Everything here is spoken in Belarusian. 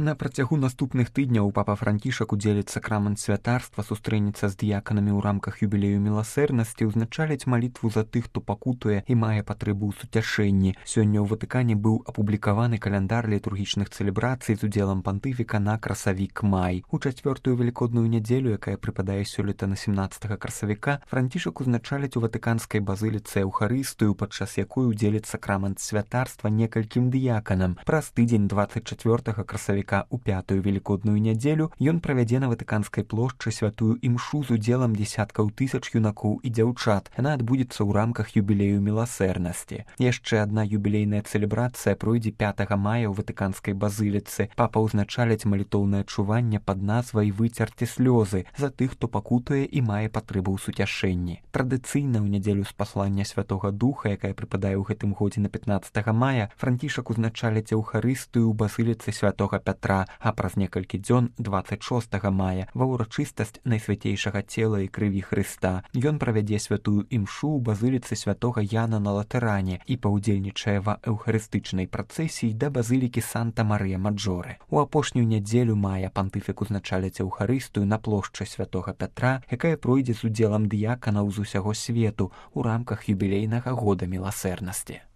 На працягу наступных тыдняў папа Францішак удзеліць сакрамент святарства, сустрэнецца з дыяканамі ў рамках юбілею міласэрнасці, узначаліць малітву за тых, хто пакутуе і мае патрэбу ў суцяшэнні. Сёння ў Ватыкане быў апублікаваны каляндар літургічных цэлебрацый з удзелам пантыфіка на красавік-май. У чацвёртую велікодную нядзелю, якая прыпадае сёлета на 17 красавіка, Францішак узначаліць у ватыканскай базыліцы Эўхарыстыю, падчас якой удзеліць сакрамент святарства некалькім дыяканам. Праз тыдзень 24 красавіка у пятую велікодную нядзелю ён правядзе на ватыканскай плошчы святую імшу з удзелам дзесяткаў тысяч юнакоў і дзяўчат. Яна адбудзецца ў рамках юбілею міласэрнасці. Яшчэ адна юбілейная цэлебрацыя пройдзе 5 мая ў ватыканскай базыліцы. Папа ўзначаліць малітоўнае чуванне пад назвай «Выцерці слёзы» за тых, хто пакутуе і мае патрэбу ў суцяшэнні. Традыцыйна ў нядзелю спаслання Святога Духа, якая прыпадае ў гэтым годзе на 15 мая, Францішак узначаліць Эўхарыстыю ў базыліцы Святога Пятра, а праз некалькі дзён 26 мая ва ўрачыстасць Найсвяцейшага цела і крыві Хрыста ён правядзе святую імшу ў базыліцы Святога Яна на Латэране і паўдзельнічае ва эўхарыстычнай працэсіі да базылікі Санта-Марыя-Маджоре. У апошнюю нядзелю мая пантыфік узначаліць Эўхарыстыю на плошчы Святога Пятра, якая пройдзе з удзелам дыяканаў з усяго свету ў рамках юбілейнага года міласэрнасці.